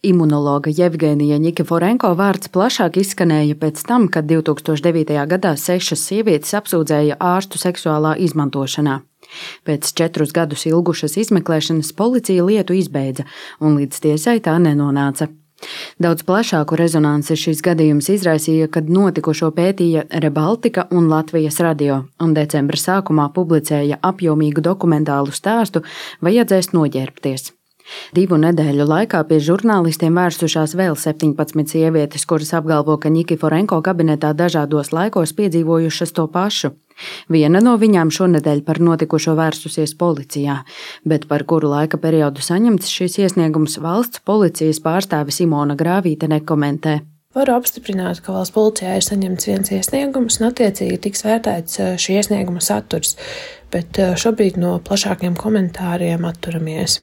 Imunologa Jevgenija Ņikiforenko vārds plašāk izskanēja pēc tam, kad 2009. gadā 6 sievietes apsūdzēja ārstu seksuālā izmantošanā. Pēc 4 gadus ilgušas izmeklēšanas policija lietu izbeidza, un līdz tiesai tā nenonāca. Daudz plašāku rezonanci šis gadījums izraisīja, kad notikušo pētīja Rebaltika un Latvijas radio, un decembra sākumā publicēja apjomīgu dokumentālu stāstu Vajadzēs noģērbties. 2 nedēļu laikā pie žurnālistiem vērsušās vēl 17 sievietes, kuras apgalvo, ka Ņikiforenko kabinetā dažādos laikos piedzīvojušas to pašu. Viena no viņām šonedēļ par notikušo vērsusies policijā, bet par kuru laika periodu saņemts šis iesniegums valsts policijas pārstāve Simona Grāvīte nekomentē. Varu apstiprināt, ka valsts policijā ir saņemts viens iesniegums un attiecīgi tiks vērtēts šī iesnieguma saturs, bet šobrīd no plašākiem komentāriem atturamies.